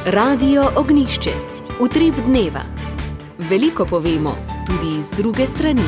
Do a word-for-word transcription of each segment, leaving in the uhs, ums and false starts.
Radio Ognjišče. Utrip dneva. Veliko povemo, tudi iz druge strani.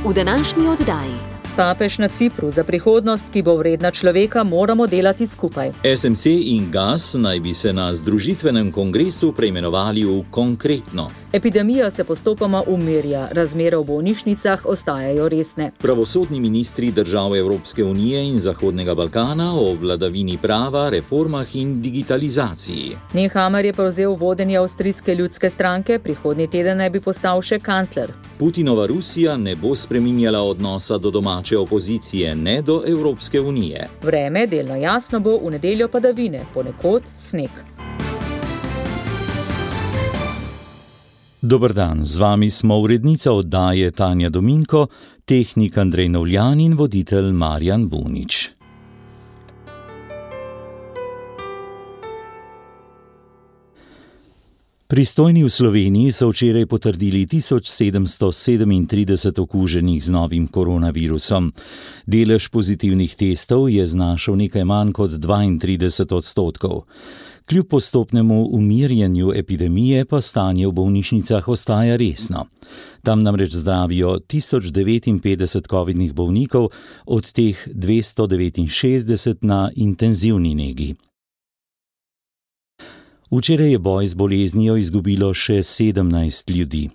V današnji oddaji. Papež na Cipru: za prihodnost, ki bo vredna človeka, moramo delati skupaj. S M C in Gas naj bi se na združitvenem kongresu preimenovali v Konkretno. Epidemija se postopoma umirja, razmere v bolnišnicah ostajajo resne. Pravosodni ministri držav Evropske unije in Zahodnega Balkana o vladavini prava, reformah in digitalizaciji. Nehammer je prevzel vodenje avstrijske ljudske stranke, prihodnji teden naj bi postal še kancler. Putinova Rusija ne bo spreminjala odnosa do domače opozicije, ne do Evropske unije. Vreme delno jasno bo, v nedeljo padavine, ponekod sneg. Dober dan, z vami smo urednica oddaje Tanja Dominko, tehnik Andrej Novljan in voditelj Marjan Bunič. Pristojni v Sloveniji so včeraj potrdili tisoč sedemsto sedemintrideset okuženih z novim koronavirusom. Delež pozitivnih testov je znašal nekaj manj kot dvaintrideset odstotkov. Kljub postopnemu umirjanju epidemije pa stanje v bolnišnicah ostaja resno. Tam namreč zdravijo tisoč devetinpetdeset covidnih bolnikov, od teh dvesto devetinšestdeset na intenzivni negi. Včeraj je boj z boleznijo izgubilo še sedemnajst ljudi.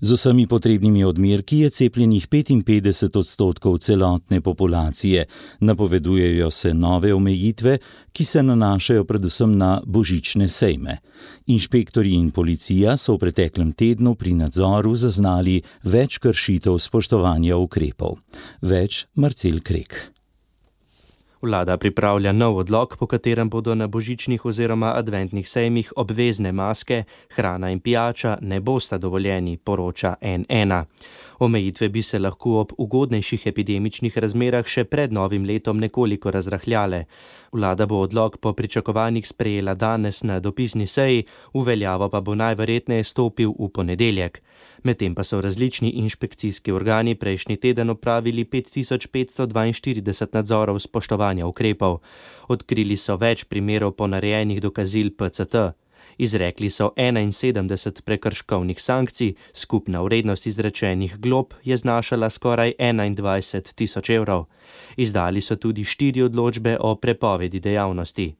Z vsemi potrebnimi odmerki je cepljenih petinpetdeset odstotkov celotne populacije. Napovedujejo se nove omejitve, ki se nanašajo predvsem na božične sejme. Inšpektorji in policija so v preteklem tednu pri nadzoru zaznali več kršitev spoštovanja ukrepov. Več Marcel Krek. Vlada pripravlja nov odlok, po katerem bodo na božičnih oziroma adventnih sejmih obvezne maske, hrana in pijača ne bosta dovoljeni, poroča N ena. Omejitve bi se lahko ob ugodnejših epidemičnih razmerah še pred novim letom nekoliko razrahljale. Vlada bo odlok po pričakovanjih sprejela danes na dopisni seji, v veljavo pa bo najverjetneje stopil v ponedeljek. Medtem pa so različni inšpekcijski organi prejšnji teden opravili pet tisoč petsto dvainštirideset nadzorov spoštovanja ukrepov. Odkrili so več primerov ponarejenih dokazil P C T. Izrekli so enainsedemdeset prekrškovnih sankcij, skupna vrednost izrečenih glob je znašala skoraj enaindvajset tisoč evrov. Izdali so tudi štiri odločbe o prepovedi dejavnosti.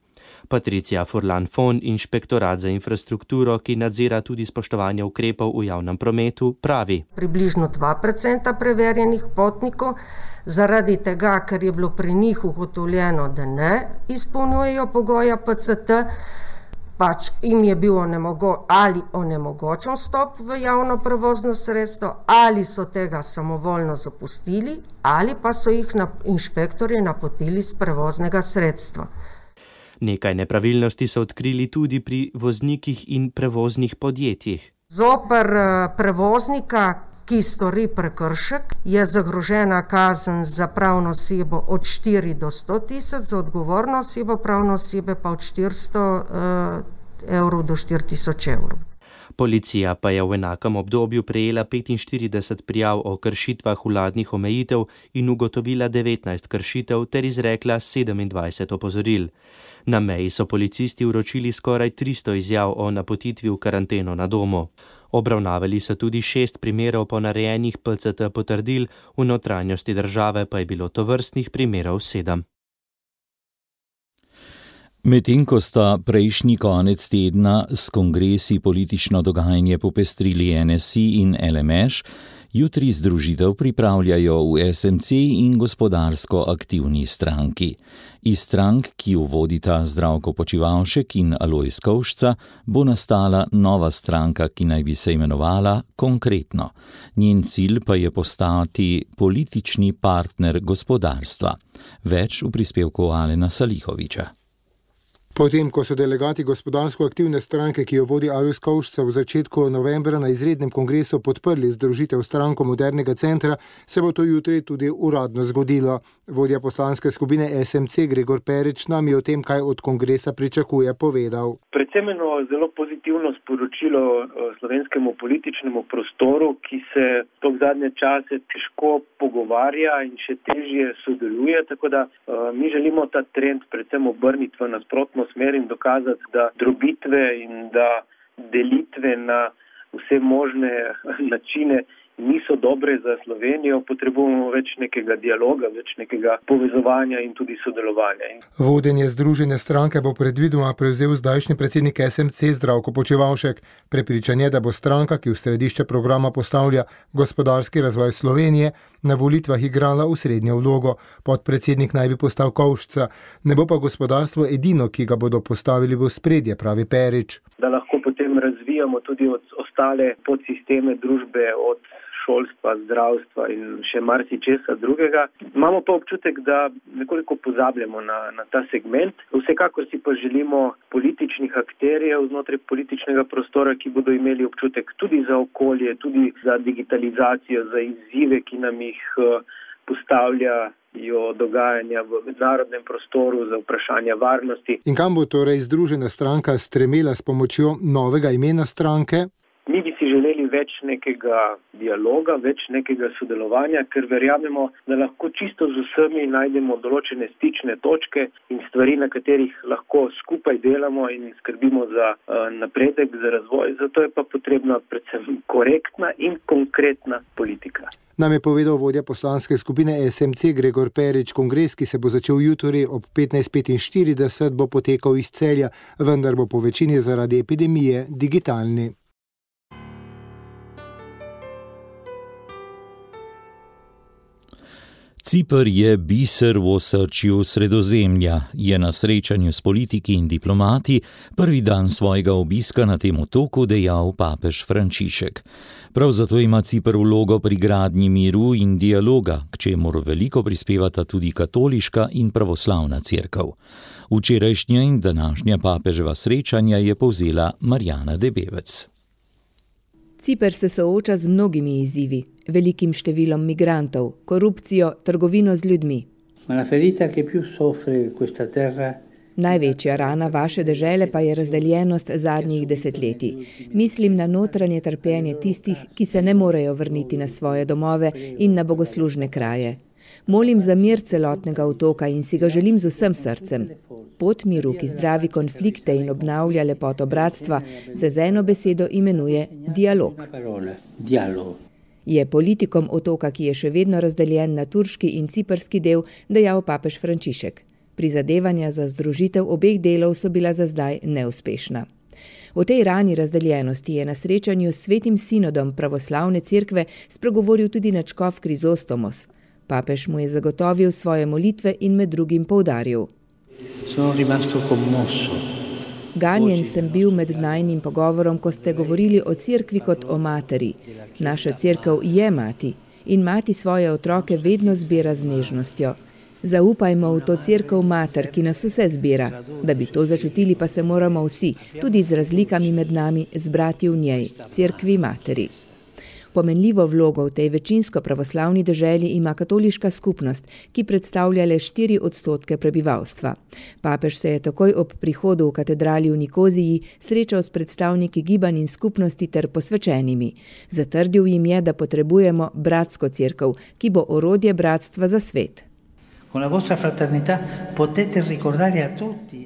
Patricija Furlan-Fon, inšpektorat za infrastrukturo, ki nadzira tudi spoštovanje ukrepov v javnem prometu, pravi: Približno dva procenta preverjenih potnikov, zaradi tega, ker je bilo pri njih ugotovljeno, da ne izpolnjujejo pogoja P C T, pač jim je bil onemogo, ali onemogočen vstop v javno prevozno sredstvo, ali so tega samovoljno zapustili, ali pa so jih na, inšpektorji napotili z prevoznega sredstva. Nekaj nepravilnosti so odkrili tudi pri voznikih in prevoznih podjetjih. Zoper prevoznika, ki stori prekršek, je zagrožena kazen za pravno osebo od štiri do sto tisoč, za odgovorno osebo pravne osebe pa od štiristo evrov do štiri tisoč evrov. Policija pa je v enakem obdobju prejela petinštirideset prijav o kršitvah vladnih omejitev in ugotovila devetnajst kršitev ter izrekla sedemindvajset opozoril. Na meji so policisti vročili skoraj tristo izjav o napotitvi v karanteno na domu. Obravnavali so tudi šest primerov ponarejenih P C T potrdil, v notranjosti države pa je bilo tovrstnih primerov sedem. Medtem ko sta prejšnji konec tedna s kongresi politično dogajanje popestrili N S I in L M Š, jutri združitev pripravljajo v S M C in gospodarsko aktivni stranki. Iz strank, ki jo vodita Zdravko Počivalšek in Alojz Kovšca, bo nastala nova stranka, ki naj bi se imenovala Konkretno. Njen cilj pa je postati politični partner gospodarstva. Več v prispevku Alena Salihoviča. Potem, ko so delegati gospodarsko aktivne stranke, ki jo vodi Alojz Kovšca, v začetku novembra na izrednem kongresu podprli združitev stranko Modernega centra, se bo to jutri tudi uradno zgodilo. Vodja poslanske skupine S M C Gregor Perič nam je o tem, kaj od kongresa pričakuje, povedal. Predvsem eno zelo pozitivno sporočilo slovenskemu političnemu prostoru, ki se v zadnje čase težko pogovarja in še težje sodeluje, tako da mi želimo ta trend predvsem obrniti v nasprotno smer in dokazati, da drobitve in da delitve na vse možne načine niso dobre za Slovenijo, potrebujemo več nekega dialoga, več nekega povezovanja in tudi sodelovanja. Vodenje Združene stranke bo predvidoma prevzel zdajšnji predsednik S M C Zdravko Počivalšek. Prepričan je, da bo stranka, ki v središče programa postavlja gospodarski razvoj Slovenije, na volitvah igrala osrednjo vlogo. Podpredsednik naj bi postal Kovšca. Ne bo pa gospodarstvo edino, ki ga bodo postavili v ospredje, pravi Perič. Da lahko potem razvijamo tudi od ostale podsisteme družbe, od šolstva, zdravstva in še marsičesa drugega. Imamo pa občutek, da nekoliko pozabljamo na, na ta segment. Vsekakor si pa želimo političnih akterjev znotraj političnega prostora, ki bodo imeli občutek tudi za okolje, tudi za digitalizacijo, za izzive, ki nam jih postavljajo dogajanja v mednarodnem prostoru, za vprašanja varnosti. In kam bo torej Združena stranka stremela s pomočjo novega imena stranke? Mi bi si želeli več nekega dialoga, več nekega sodelovanja, ker verjamemo, da lahko čisto z vsemi najdemo določene stične točke in stvari, na katerih lahko skupaj delamo in skrbimo za uh, napredek, za razvoj. Zato je pa potrebna predvsem korektna in konkretna politika. Nam je povedal vodja poslanske skupine S M C Gregor Perič. Kongres, ki se bo začel jutri ob petnajst petinštirideset, bo potekal iz Celja, vendar bo po večini zaradi epidemije digitalni. Ciper je biser v osrčju Sredozemlja, je na srečanju s politiki in diplomati prvi dan svojega obiska na tem otoku dejal papež Frančišek. Prav zato ima Ciper vlogo pri gradnji miru in dialoga, k čemur veliko prispevata tudi katoliška in pravoslavna cerkev. Včerajšnja in današnja papeževa srečanja je povzela Marjana Debevec. Ciper se sooča z mnogimi izzivi, velikim številom migrantov, korupcijo, trgovino z ljudmi. Največja rana vaše dežele pa je razdeljenost zadnjih desetletij. Mislim na notranje trpljenje tistih, ki se ne morejo vrniti na svoje domove in na bogoslužne kraje. Molim za mir celotnega otoka in si ga želim z vsem srcem. Pot miru, ki zdravi konflikte in obnavlja lepoto bratstva, se z eno besedo imenuje dialog. Je politikom otoka, ki je še vedno razdeljen na turški in ciprski del, dejal papež Frančišek. Prizadevanja za združitev obeh delov so bila za zdaj neuspešna. O tej rani razdeljenosti je na srečanju s Svetim sinodom pravoslavne cerkve spregovoril tudi nadškof Krizostomos. Papež mu je zagotovil svoje molitve in med drugim poudaril. Ganjen sem bil med najnim pogovorom, ko ste govorili o cerkvi kot o materi. Naša cerkev je mati in mati svoje otroke vedno zbira z nežnostjo. Zaupajmo v to cerkev mater, ki nas vse zbira. Da bi to začutili, pa se moramo vsi, tudi z razlikami med nami, zbrati v njej, cerkvi materi. Pomenljivo vlogo v tej večinsko pravoslavni deželi ima katoliška skupnost, ki predstavlja le štiri odstotke prebivalstva. Papež se je takoj ob prihodu v katedrali v Nikoziji srečal s predstavniki gibanj in skupnosti ter posvečenimi. Zatrdil jim je, da potrebujemo bratsko cerkev, ki bo orodje bratstva za svet.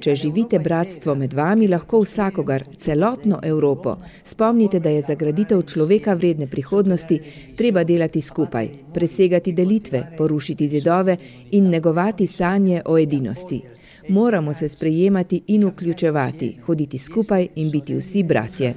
Če živite bratstvo med vami, lahko vsakogar, celotno Evropo, spomnite, da je za graditev človeka vredne prihodnosti treba delati skupaj, presegati delitve, porušiti zidove in negovati sanje o edinosti. Moramo se sprejemati in vključevati, hoditi skupaj in biti vsi bratje.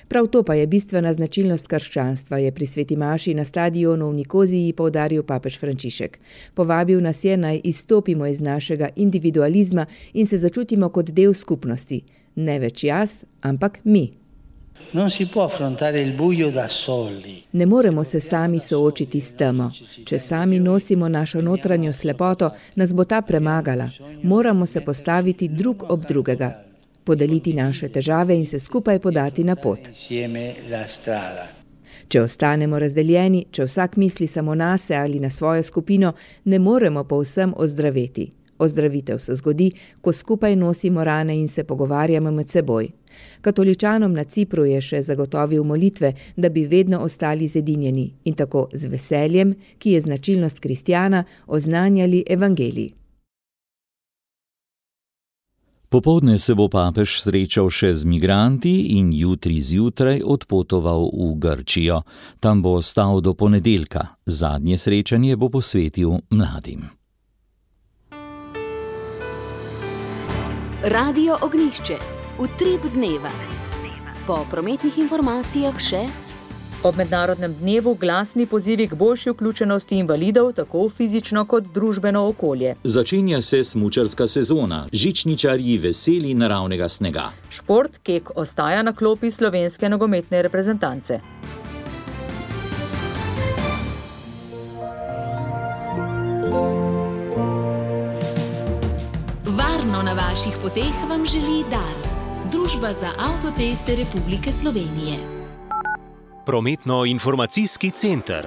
Prav to pa je bistvena značilnost krščanstva, je pri sveti maši na stadionu v Nikoziji poudaril papež Frančišek. Povabil nas je, naj izstopimo iz našega individualizma in se začutimo kot del skupnosti. Ne več jaz, ampak mi. Ne moremo se sami soočiti s temo. Če sami nosimo našo notranjo slepoto, nas bo ta premagala. Moramo se postaviti drug ob drugega, podeliti naše težave in se skupaj podati na pot. Če ostanemo razdeljeni, če vsak misli samo nase ali na svojo skupino, ne moremo povsem ozdraveti. Ozdravitev se zgodi, ko skupaj nosimo rane in se pogovarjamo med seboj. Katoličanom na Cipru je še zagotovil molitve, da bi vedno ostali zedinjeni in tako z veseljem, ki je značilnost kristjana, oznanjali evangelij. Popoldne se bo papež srečal še z migranti in jutri zjutraj odpotoval v Grčijo. Tam bo ostal do ponedeljka. Zadnje srečanje bo posvetil mladim. Radio Ognjišče. Utrip dneva. Po prometnih informacijah še ob mednarodnem dnevu glasni pozivi k boljši vključenosti invalidov, tako fizično kot družbeno okolje. Začenja se smučarska sezona, žičničarji veseli naravnega snega. Šport kek ostaja na klopi slovenske nogometne reprezentance. Varno na vaših poteh vam želi Dars, Družba za avtoceste Republike Slovenije. Prometno-informacijski center.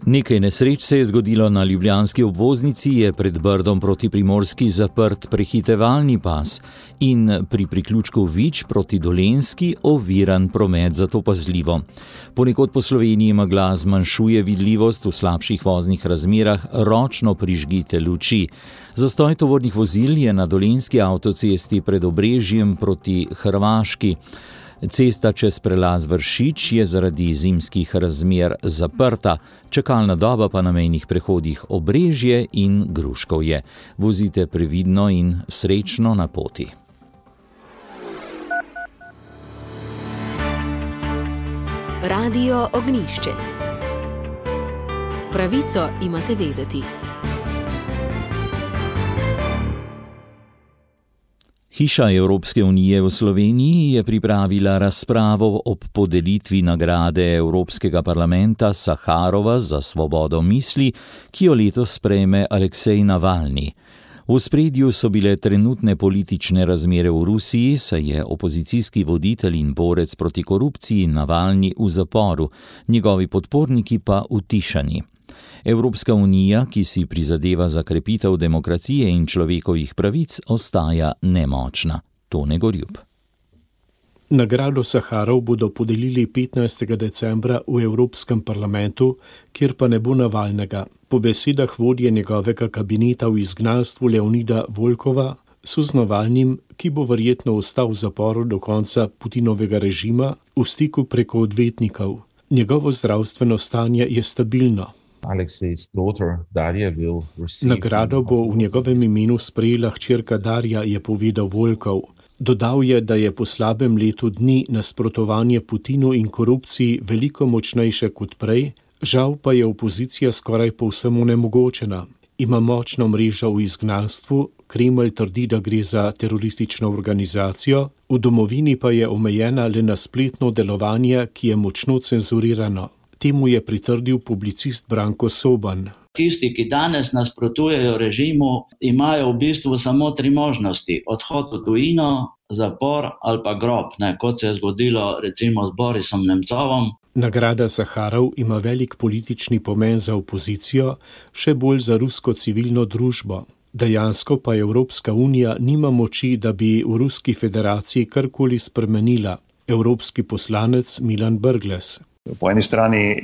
Nekaj nesreč se je zgodilo na ljubljanski obvoznici, je pred Brdom proti Primorski zaprt prehitevalni pas in pri priključku Vič proti Dolenjski oviran promet, zato pazljivo. Ponekod po Sloveniji megla zmanjšuje vidljivost, v slabših voznih razmerah ročno prižgite luči. Zastoj tovornih vozil je na dolenjski avtocesti pred Obrežjem proti Hrvaški. Cesta čez prelaz Vršič je zaradi zimskih razmer zaprta, čakalna doba pa na mejnih prehodih Obrežje in Gruškovje. Vozite previdno in srečno na poti. Radio Ognjišče. Pravico imate vedeti. Hiša Evropske unije v Sloveniji je pripravila razpravo ob podelitvi nagrade Evropskega parlamenta Saharova za svobodo misli, ki jo letos sprejme Aleksej Navalni. V ospredju so bile trenutne politične razmere v Rusiji, saj je opozicijski voditelj in borec proti korupciji Navalni v zaporu, njegovi podporniki pa utišani. Evropska unija, ki si prizadeva za krepitev demokracije in človekovih pravic, ostaja nemočna. Tone Gorjub. Nagrado Saharov bodo podelili petnajstega decembra v Evropskem parlamentu, kjer pa ne bo Navalnega. Po besedah vodje njegovega kabineta v izgnanstvu Leonida Volkova so z Navalnim, ki bo verjetno ostal v zaporu do konca Putinovega režima, v stiku preko odvetnikov. Njegovo zdravstveno stanje je stabilno. Nagrado bo v njegovem imenu sprejela hčerka Darja, je povedal Volkov. Dodal je, da je po slabem letu dni nasprotovanje Putinu in korupciji veliko močnejše kot prej, žal pa je opozicija skoraj povsem onemogočena. Ima močno mrežo v izgnanstvu, Kremelj trdi, da gre za teroristično organizacijo, v domovini pa je omejena le na spletno delovanje, ki je močno cenzurirano. Temu je pritrdil publicist Branko Soban. Tisti, ki danes nasprotujejo režimu, imajo v bistvu samo tri možnosti. Odhod v tujino, zapor ali pa grob, ne, kot se je zgodilo recimo z Borisom Nemcovom. Nagrada Saharov ima velik politični pomen za opozicijo, še bolj za rusko civilno družbo. Dejansko pa Evropska unija nima moči, da bi v Ruski federaciji karkoli spremenila. Evropski poslanec Milan Brglez. Po eni strani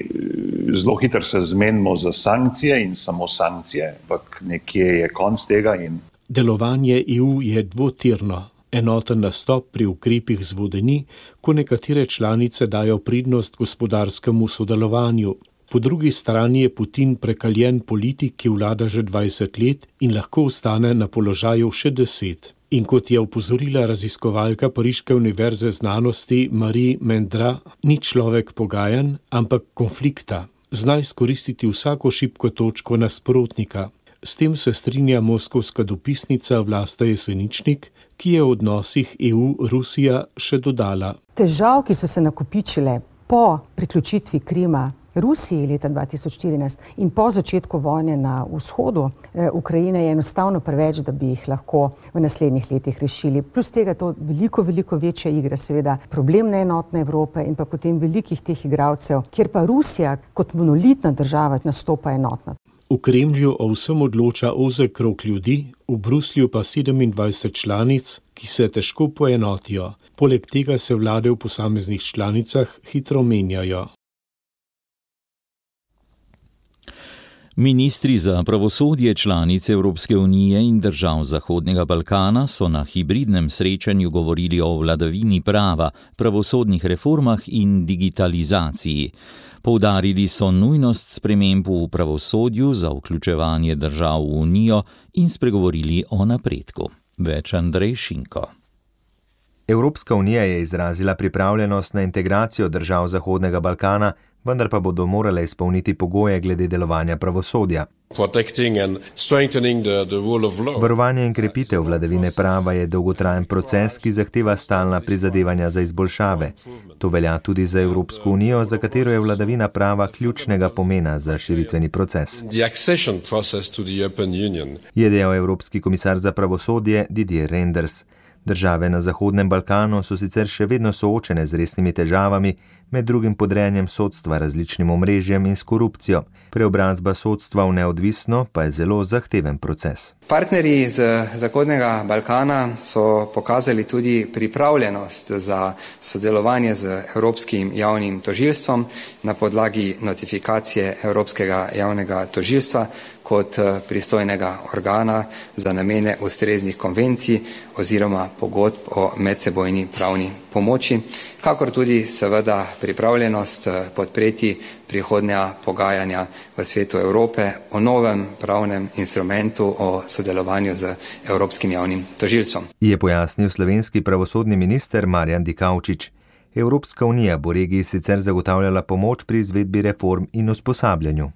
zelo hitro se zmenimo za sankcije in samo sankcije, ampak nekje je konc tega. In... Delovanje E U je dvotirno. Enoten nastop pri ukrepih zvodeni, ko nekatere članice dajo prednost gospodarskemu sodelovanju. Po drugi strani je Putin prekaljen politik, ki vlada že dvajset let in lahko ostane na položaju še deset. In kot je opozorila raziskovalka Pariške univerze znanosti Marie Mendra, ni človek pogajanj, ampak konflikta. Zna izkoristiti vsako šibko točko nasprotnika. S tem se strinja moskovska dopisnica Vlasta Jeseničnik, ki je v odnosih E U-Rusija še dodala. Težav, ki so se nakopičile po priključitvi Krima Rusiji leta dva tisoč štirinajst in po začetku vojne na vzhodu Ukrajine je enostavno preveč, da bi jih lahko v naslednjih letih rešili. Plus tega je to veliko, veliko večja igra, seveda problem neenotne Evrope in pa potem velikih teh igralcev, kjer pa Rusija kot monolitna država nastopa enotna. V Kremlju o vsem odloča ozek krog ljudi, v Bruslju pa sedemindvajset članic, ki se težko poenotijo. Poleg tega se vlade v posameznih članicah hitro menjajo. Ministri za pravosodje članic Evropske unije in držav Zahodnega Balkana so na hibridnem srečanju govorili o vladavini prava, pravosodnih reformah in digitalizaciji. Poudarili so nujnost sprememb v pravosodju za vključevanje držav v unijo in spregovorili o napredku. Več Andrej Šinko. Evropska unija je izrazila pripravljenost na integracijo držav Zahodnega Balkana, vendar pa bodo morale izpolniti pogoje glede delovanja pravosodja. Varovanje in krepitev vladavine prava je dolgotrajen proces, ki zahteva stalna prizadevanja za izboljšave. To velja tudi za Evropsko unijo, za katero je vladavina prava ključnega pomena za širitveni proces, je dejal Evropski komisar za pravosodje Didier Reynders. Države na Zahodnem Balkanu so sicer še vedno soočene z resnimi težavami, med drugim podrejanjem sodstva različnim omrežjem in s korupcijo. Preobrazba sodstva v neodvisno pa je zelo zahteven proces. Partnerji z Zahodnega Balkana so pokazali tudi pripravljenost za sodelovanje z Evropskim javnim tožilstvom na podlagi notifikacije Evropskega javnega tožilstva kot pristojnega organa za namene ustreznih konvencij oziroma pogodb o medsebojni pravni pomoči, kakor tudi seveda pripravljenost podpreti prihodnja pogajanja v svetu Evrope o novem pravnem instrumentu o sodelovanju z Evropskim javnim tožilstvom. Je pojasnil slovenski pravosodni minister Marjan Dikaučič. Evropska unija bo regiji sicer zagotavljala pomoč pri izvedbi reform in usposabljanju.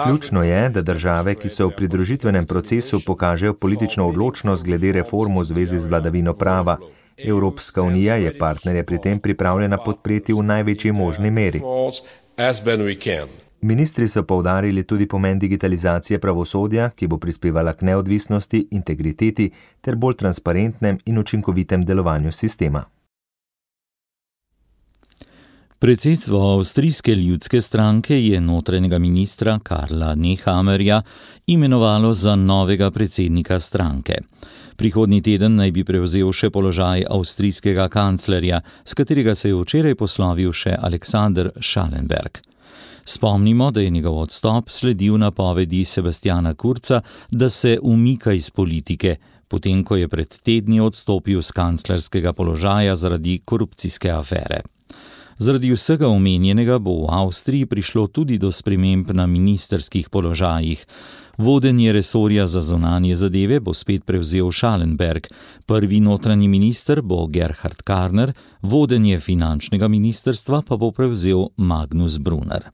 Ključno je, da države, ki so v pridružitvenem procesu, pokažejo politično odločnost glede reform v zvezi z vladavino prava. Evropska unija je partnerje pri tem pripravljena podpreti v največji možni meri. Ministri so poudarili tudi pomen digitalizacije pravosodja, ki bo prispevala k neodvisnosti, integriteti ter bolj transparentnem in učinkovitem delovanju sistema. Predsedstvo Avstrijske ljudske stranke je notranjega ministra Karla Nehammerja imenovalo za novega predsednika stranke. Prihodnji teden naj bi prevzel še položaj avstrijskega kanclerja, s katerega se je včeraj poslovil še Alexander Schallenberg. Spomnimo, da je njegov odstop sledil napovedi Sebastiana Kurza, da se umika iz politike, potem ko je pred tedni odstopil z kanclerskega položaja zaradi korupcijske afere. Zaradi vsega omenjenega bo v Avstriji prišlo tudi do sprememb na ministrskih položajih. Vodenje resorja za zunanje zadeve bo spet prevzel Schallenberg, prvi notranji minister bo Gerhard Karner, vodenje finančnega ministrstva pa bo prevzel Magnus Brunner.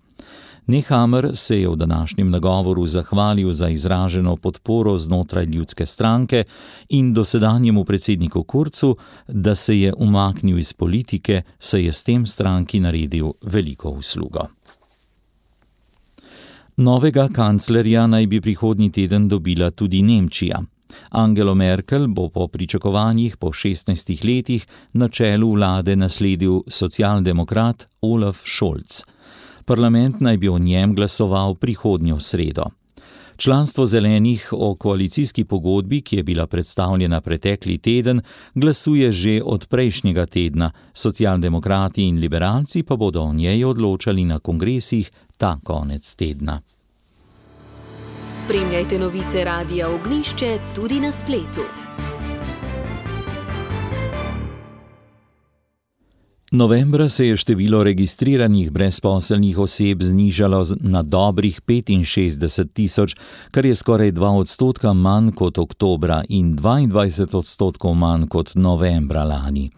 Nehammer se je v današnjem nagovoru zahvalil za izraženo podporo znotraj ljudske stranke in dosedanjemu predsedniku Kurzu, da se je umaknil iz politike, saj je s tem stranki naredil veliko uslugo. Novega kanclerja naj bi prihodnji teden dobila tudi Nemčija. Angelo Merkel bo po pričakovanjih po šestnajstih letih na čelu vlade nasledil socialdemokrat Olaf Scholz. Parlament naj bi o njem glasoval prihodnjo sredo. Članstvo zelenih o koalicijski pogodbi, ki je bila predstavljena pretekli teden, glasuje že od prejšnjega tedna, socialdemokrati in liberalci pa bodo o njej odločali na kongresih ta konec tedna. Spremljajte novice Radia Ognjišče tudi na spletu. Novembra se je število registriranih brezposelnih oseb znižalo na dobrih petinšestdeset tisoč, kar je skoraj dva odstotka manj kot oktobra in dvaindvajset odstotkov manj kot novembra lani.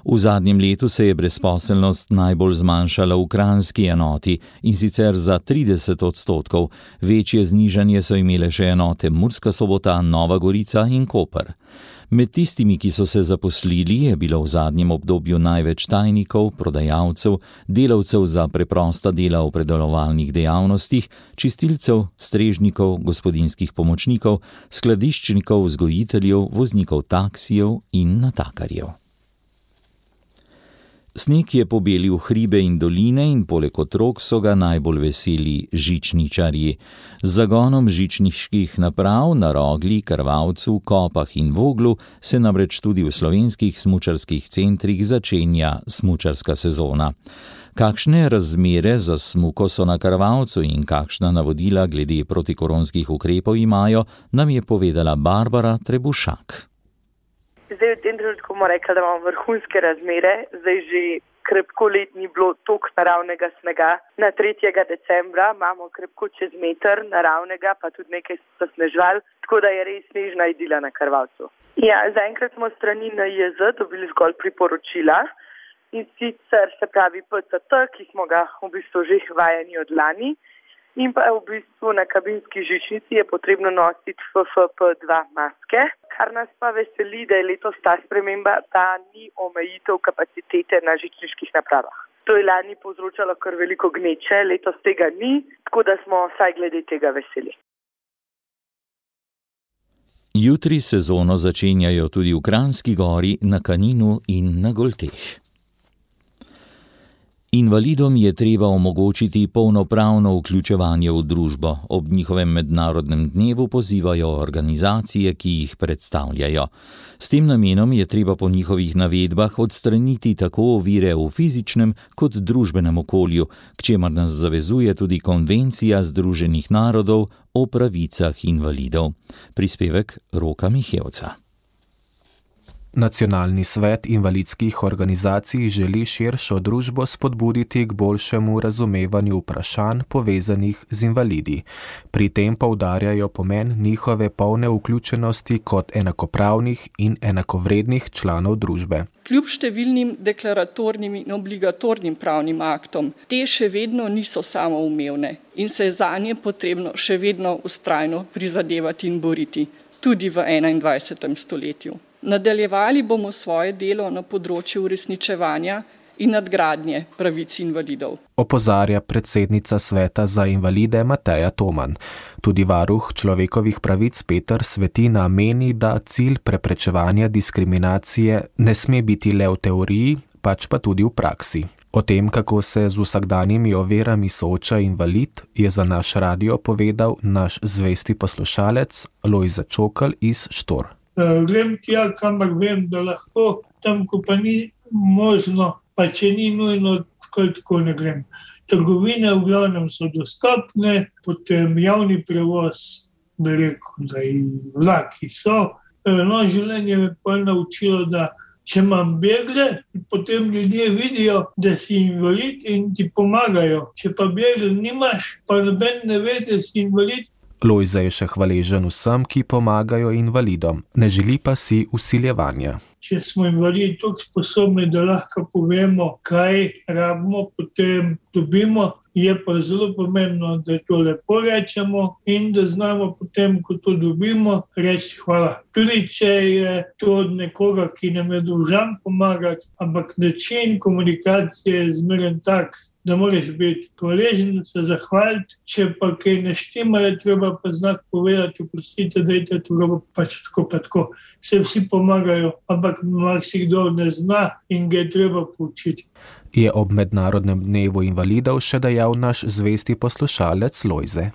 V zadnjem letu se je brezposelnost najbolj zmanjšala v kranjski enoti in sicer za trideset odstotkov, večje znižanje so imele še enote Murska Sobota, Nova Gorica in Koper. Med tistimi, ki so se zaposlili, je bilo v zadnjem obdobju največ tajnikov, prodajalcev, delavcev za preprosta dela v predelovalnih dejavnostih, čistilcev, strežnikov, gospodinjskih pomočnikov, skladiščnikov, vzgojiteljev, voznikov taksijev in natakarjev. Sneg je pobelil hribe in doline in poleg otrok so ga najbolj veseli žičničarji. Z zagonom žičniških naprav na Rogli, Krvavcu, Kopah in Voglu se namreč tudi v slovenskih smučarskih centrih začenja smučarska sezona. Kakšne razmere za smuko so na Krvavcu in kakšna navodila glede protikoronskih ukrepov imajo, nam je povedala Barbara Trebušak. Zdaj v tem trenutku bomo rekli, da imamo vrhunske razmere, zdaj že krepko let ni bilo toliko naravnega snega. Na tretjega decembra imamo krepko čez meter naravnega, pa tudi nekaj so snežval, tako da je res snežna idila na Krvavcu. Ja, zaenkrat smo strani N I J Z dobili zgolj priporočila in sicer se pravi P C T, ki smo ga v bistvu že vajeni od lani, in pa v bistvu na kabinski žičnici je potrebno nositi F F P dva maske. Kar nas pa veseli, da je letos ta sprememba, da ni omejitev kapacitete na žičniških napravah. To je lani povzročalo kar veliko gneče, letos tega ni, tako da smo vsaj glede tega veseli. Jutri sezono začenjajo tudi v Kranjski Gori, na Kaninu in na Golteh. Invalidom je treba omogočiti polnopravno vključevanje v družbo. Ob njihovem mednarodnem dnevu pozivajo organizacije, ki jih predstavljajo. S tem namenom je treba po njihovih navedbah odstraniti tako ovire v fizičnem kot družbenem okolju, k čemer nas zavezuje tudi Konvencija Združenih narodov o pravicah invalidov. Prispevek Roka Mihevca. Nacionalni svet invalidskih organizacij želi širšo družbo spodbuditi k boljšemu razumevanju vprašanj povezanih z invalidi. Pri tem poudarjajo pomen njihove polne vključenosti kot enakopravnih in enakovrednih članov družbe. Kljub številnim deklaratornim in obligatornim pravnim aktom, te še vedno niso samoumevne in se je zanje potrebno še vedno vztrajno prizadevati in boriti, tudi v enaindvajsetem stoletju. Nadaljevali bomo svoje delo na področju uresničevanja in nadgradnje pravic invalidov. Opozarja predsednica Sveta za invalide Mateja Toman. Tudi varuh človekovih pravic Peter Svetina meni, da cilj preprečevanja diskriminacije ne sme biti le v teoriji, pač pa tudi v praksi. O tem, kako se z vsakdanjimi ovirami sooča invalid, je za naš radio povedal naš zvesti poslušalec Lojze Čokl iz Štor. Uh, grem tja, kamor vem, da lahko, tam, ko pa ni možno, pa če ni nujno, tako ne grem. Trgovine v glavnem so dostopne, potem javni prevoz, bi rekel, da in vlaki so. Uh, no, življenje me pa je naučilo, da če imam begle, potem ljudje vidijo, da si invalid in ti pomagajo. Če pa begle nimaš, pa noben ne ve, da si invalid. Lojze je še hvaležen vsem, ki pomagajo invalidom, ne želi pa si vsiljevanja. Če smo invalidi toliko sposobni, da lahko povemo, kaj rabimo, potem dobimo, je pa zelo pomembno, da to lepo rečemo in da znamo potem, ko to dobimo, reči hvala. Tudi če je to od nekoga, ki nam je dolžan pomagati, ampak način komunikacije je zmeren tak, da moraš biti hvaležen, se zahvaliti, če pa kaj ne štima, je treba pa znati povedati, oprostite, dajte to pač tako pa tako. Se vsi pomagajo, ampak marsikdo ne zna in ga je treba poučiti. Je ob mednarodnem dnevu invalidov še dejal naš zvesti poslušalec Lojze.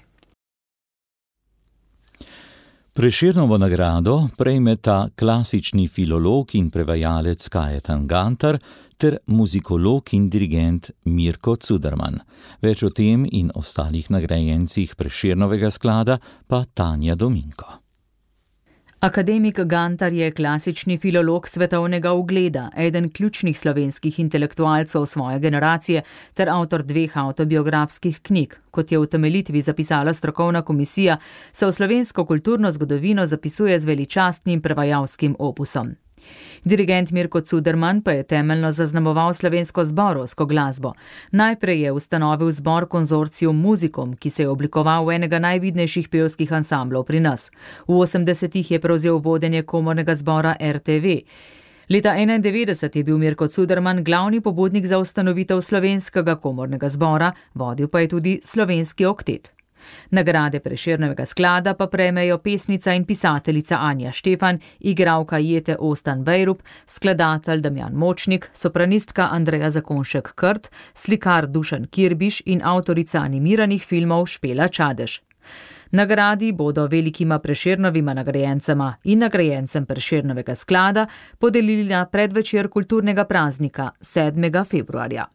Prešernovo nagrado prejmeta klasični filolog in prevajalec Kajetan Gantar ter muzikolog in dirigent Mirko Cuderman. Več o tem in ostalih nagrajencih Prešernovega sklada pa Tanja Dominko. Akademik Gantar je klasični filolog svetovnega ugleda, eden ključnih slovenskih intelektualcev svoje generacije ter avtor dveh avtobiografskih knjig. Kot je v utemeljitvi zapisala strokovna komisija, se v slovensko kulturno zgodovino zapisuje z veličastnim prevajalskim opusom. Dirigent Mirko Cuderman pa je temeljno zaznamoval slovensko zborovsko glasbo. Najprej je ustanovil zbor Konzorcium Musicum, ki se je oblikoval v enega najvidnejših pevskih ansamblov pri nas. V osemdesetih je prevzel vodenje komornega zbora R T V. Leta enaindevetdeset je bil Mirko Cuderman glavni pobudnik za ustanovitev slovenskega komornega zbora, vodil pa je tudi slovenski oktet. Nagrade Prešernovega sklada pa prejmejo pesnica in pisateljica Anja Štefan, igralka Jete Ostan Vejrup, skladatelj Damjan Močnik, sopranistka Andreja Zakonšek-Krt, slikar Dušan Kirbiš in avtorica animiranih filmov Špela Čadež. Nagradi bodo velikima Prešernovima nagrajencema in nagrajencem Prešernovega sklada podelili na predvečer kulturnega praznika sedmega februarja.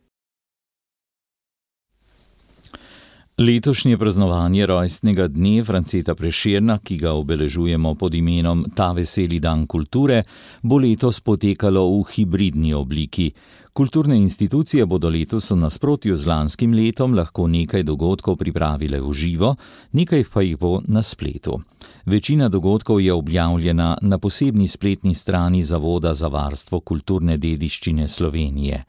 Letošnje praznovanje rojstnega dne Franceta Prešerna, ki ga obeležujemo pod imenom Ta veseli dan kulture, bo letos potekalo v hibridni obliki. Kulturne institucije bodo letos v nasprotju z lanskim letom lahko nekaj dogodkov pripravile v živo, nekaj pa jih bo na spletu. Večina dogodkov je objavljena na posebni spletni strani Zavoda za varstvo kulturne dediščine Slovenije.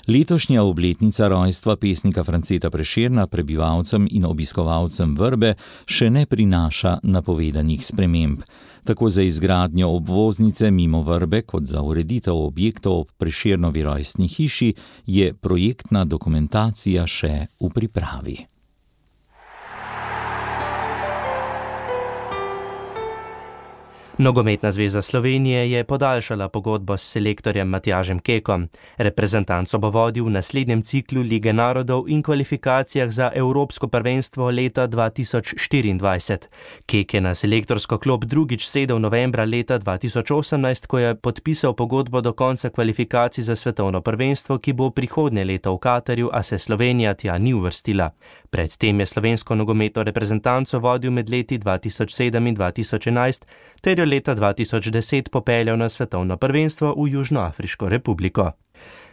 Letošnja obletnica rojstva pesnika Franceta Prešerna prebivalcem in obiskovalcem Vrbe še ne prinaša napovedanih sprememb. Tako za izgradnjo obvoznice mimo Vrbe kot za ureditev objektov ob Prešernovi rojstni hiši je projektna dokumentacija še v pripravi. Nogometna zveza Slovenije je podaljšala pogodbo s selektorjem Matjažem Kekom. Reprezentanco bo vodil v naslednjem ciklu Lige narodov in kvalifikacijah za Evropsko prvenstvo leta dva tisoč štiriindvajset. Kek je na selektorsko klop drugič sedel novembra leta dva tisoč osemnajst, ko je podpisal pogodbo do konca kvalifikacij za svetovno prvenstvo, ki bo prihodnje leto v Katarju, a se Slovenija tja ni uvrstila. Predtem je slovensko nogometno reprezentanco vodil med leti dva tisoč sedem in dva tisoč enajst, ter jo leta dva tisoč deset popeljal na svetovno prvenstvo v Južnoafriško republiko.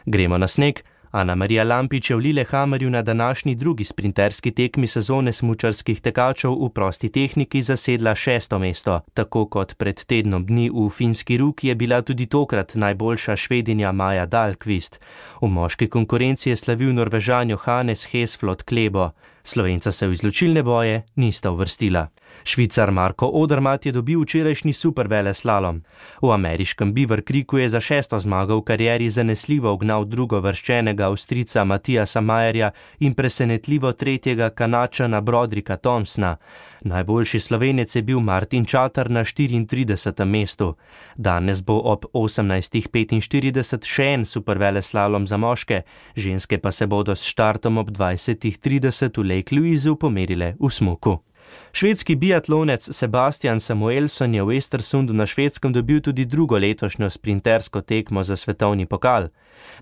Gremo na sneg. Ana Marija Lampič je v Lillehammerju na današnji drugi sprinterski tekmi sezone smučarskih tekačev v prosti tehniki zasedla šesto mesto. Tako kot pred tednom dni v Finski Ruki je bila tudi tokrat najboljša Švedinja Maja Dahlqvist. V moški konkurenci je slavil Norvežan Johannes Hesflot Klebo. Slovenca se v izločilne boje nista uvrstila. Švicar Marko Odermatt je dobil včerajšnji superveleslalom. V ameriškem Beaver Creeku je za šesto zmago v karieri zanesljivo ugnal drugovrščenega Avstrijca Matijasa Majerja in presenetljivo tretjega Kanačana Brodrika Thompsona. Najboljši Slovenec je bil Martin Čater na štiriintridesetem mestu. Danes bo ob osemnajstih petinštirideset še en superveleslalom za moške, ženske pa se bodo s štartom ob dvajsetih trideset v Lake Louiseu pomerile v smuku. Švedski biatlonec Sebastian Samuelsson je v Estersundu na Švedskem dobil tudi drugo letošnjo sprintersko tekmo za svetovni pokal.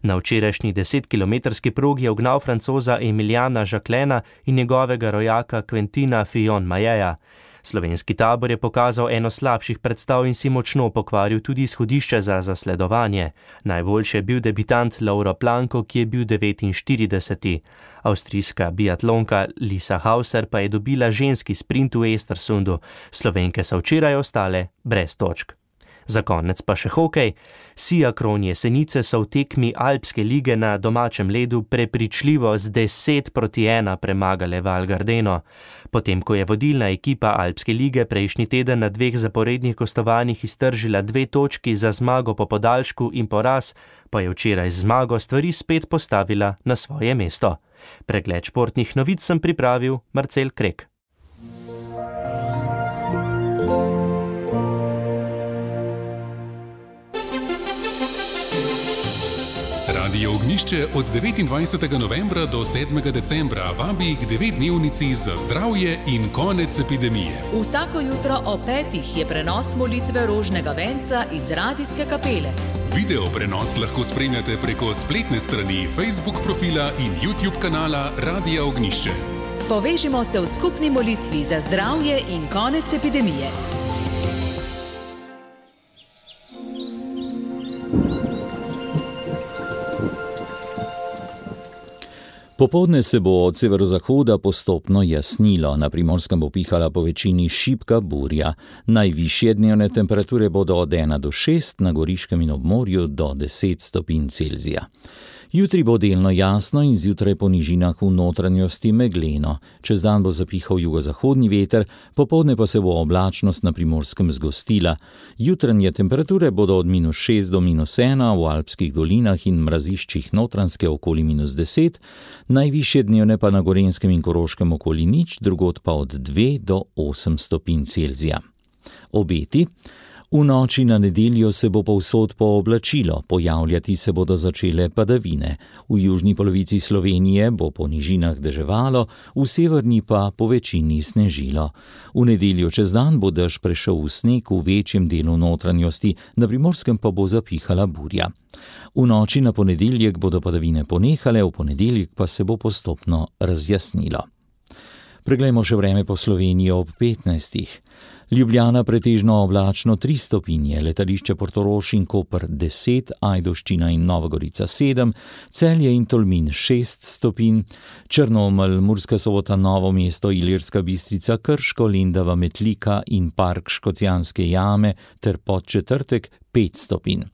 Na včerajšnji desetkilometrski progi je ugnal Francoza Emiljana Jacquelina in njegovega rojaka Quentina Fillon-Mailleja. Slovenski tabor je pokazal eno slabših predstav in si močno pokvaril tudi izhodišče za zasledovanje. Najboljši je bil debitant Lauro Planko, ki je bil devetinštirideseti. Avstrijska biatlonka Lisa Hauser pa je dobila ženski sprint v Estersundu. Slovenke so včeraj ostale brez točk. Za konec pa še hokej. Siakron Jesenice so v tekmi Alpske lige na domačem ledu prepričljivo z deset proti ena premagale Val Gardeno. Potem, ko je vodilna ekipa Alpske lige prejšnji teden na dveh zaporednih gostovanjih iztržila dve točki za zmago po podaljšku in poraz, pa je včeraj zmago stvari spet postavila na svoje mesto. Pregled športnih novic sem pripravil Marcel Krek. Radio Ognjišče od devetindvajsetega novembra do sedmega decembra vabi k devetdnevnici za zdravje in konec epidemije. Vsako jutro o petih je prenos molitve rožnega venca iz radijske kapele. Video prenos lahko spremljate preko spletne strani Facebook profila in YouTube kanala Radia Ognjišče. Povežimo se v skupni molitvi za zdravje in konec epidemije. Popoldne se bo od severozahoda postopno jasnilo, na Primorskem bo pihala po večini šibka burja. Najvišje dnevne temperature bodo od ena do šest, na Goriškem in ob morju do deset stopinj Celzija. Jutri bo delno jasno in zjutraj po nižinah v notranjosti megleno. Čez dan bo zapihal jugozahodni veter, popoldne pa se bo oblačnost na Primorskem zgostila. Jutranje temperature bodo od minus šest do minus ena, v alpskih dolinah in mraziščih Notranjske okoli minus deset, najvišje dnevne pa na Gorenjskem in Koroškem okoli nič, drugod pa od dve do osem stopinj Celzija. Obeti. V noči na nedeljo se bo povsod pooblačilo, pojavljati se bodo začele padavine. V južni polovici Slovenije bo po nižinah deževalo, v severni pa po večini snežilo. V nedeljo čez dan bo dež prešel v sneg v večjem delu notranjosti, na Primorskem pa bo zapihala burja. V noči na ponedeljek bodo padavine ponehale, v ponedeljek pa se bo postopno razjasnilo. Preglejmo še vreme po Sloveniji ob petnajstih. Ljubljana pretežno oblačno tri stopinje, letališče Portorož in Koper deset, Ajdovščina in Nova Gorica sedem, Celje in Tolmin šest stopinj, Črnomelj, Murska Sobota, Novo mesto, Ilirska Bistrica, Krško, Lendava, Metlika in Park Škocjanske jame ter Podčetrtek pet stopinj.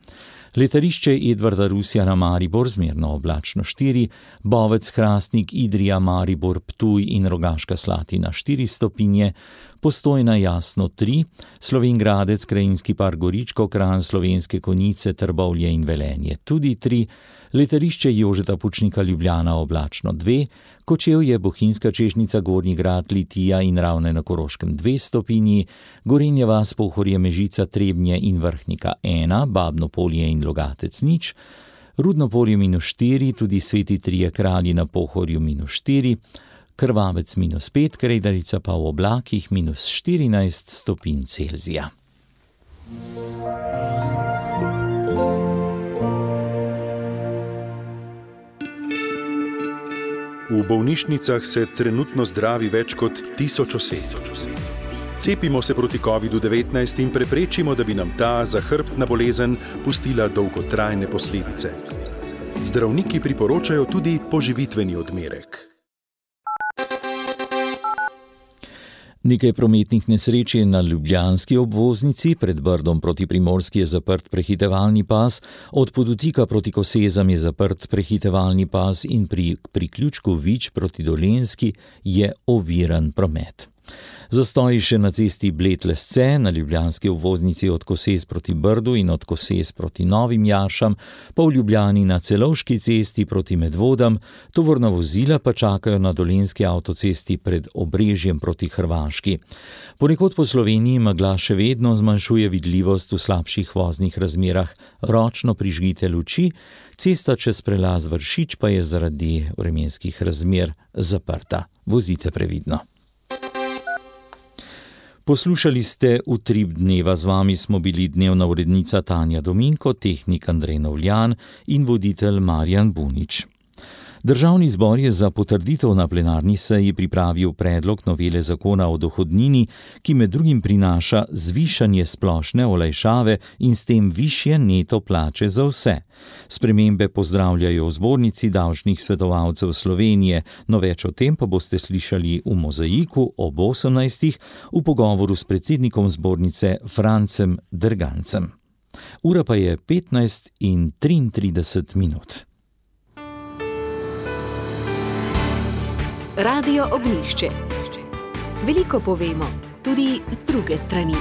Letališče Edvarda Rusja na Maribor zmerno oblačno štiri, Bovec, Hrastnik, Idrija, Maribor, Ptuj in Rogaška Slatina štiri stopinje, Postojna jasno tri, Slovenj Gradec, Krajinski park Goričko, Kranj, Slovenske Konjice, Trbovlje in Velenje tudi tri, letališče Jožeta Pučnika Ljubljana oblačno dve, Kočevje, Bohinjska Češnjica, Gornji Grad, Litija in Ravne na Koroškem dve stopinji, Gorenja vas, Pohorje, Mežica, Trebnje in Vrhnika ena, Babno Polje in Logatec nič, Rudno Polje minus štiri, tudi Sveti Trije Kralji na Pohorju minus štiri, Krvavec minus pet, Kredarica pa v oblakih minus štirinajst stopinj Celzija. V bolnišnicah se trenutno zdravi več kot tisoč oseb. Cepimo se proti kovidu devetnajst in preprečimo, da bi nam ta zahrbtna bolezen pustila dolgotrajne posledice. Zdravniki priporočajo tudi poživitveni odmerek. Nekaj prometnih nesreč je na ljubljanski obvoznici, pred Brdom proti Primorski je zaprt prehitevalni pas, od Podutika proti Kosezam je zaprt prehitevalni pas in pri priključku Vič proti Dolenjski je oviran promet. Zastoji še na cesti Bled-Lesce, na ljubljanski obvoznici od Kosez proti Brdu in od Kosez proti Novim Jaršam, pa v Ljubljani na Celovški cesti proti Medvodam, tovorna vozila pa čakajo na dolenjski avtocesti pred Obrežjem proti Hrvaški. Ponekod po Sloveniji megla še vedno zmanjšuje vidljivost v slabših voznih razmerah, ročno prižgite luči, cesta čez prelaz Vršič pa je zaradi vremenskih razmer zaprta. Vozite previdno. Poslušali ste Utrip dneva, z vami smo bili dnevna urednica Tanja Dominko, tehnik Andrej Novljan in voditelj Marjan Bunič. Državni zbor je za potrditev na plenarni seji pripravil predlog novele zakona o dohodnini, ki med drugim prinaša zvišanje splošne olajšave in s tem višje neto plače za vse. Spremembe pozdravljajo v Zbornici davčnih svetovalcev Slovenije, no več o tem pa boste slišali v Mozaiku ob osemnajstih v pogovoru s predsednikom zbornice Francem Drgancem. Ura pa je petnajst in triintrideset minut. Radio Ognjišče. Veliko povemo, tudi z druge strani.